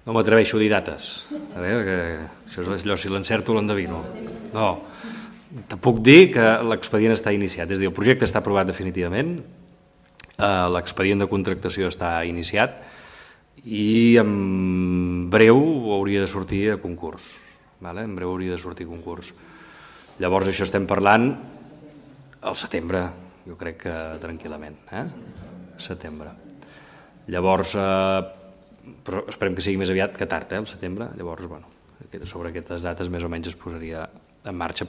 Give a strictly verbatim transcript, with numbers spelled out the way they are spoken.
No m'atreveixo a dir dates, això és allò, si l'encerto l'endevino. No, te puc dir que l'expedient està iniciat, és a dir, el projecte està aprovat definitivament, l'expedient de contractació està iniciat i en breu hauria de sortir a concurs. En breu hauria de sortir a concurs. Llavors això estem parlant al setembre, jo crec que tranquil·lament, eh? Setembre. Llavors, però esperem que sigui més aviat que tard, eh, el setembre. Llavors, bueno, sobre aquestes dates més o menys es posaria en marxa.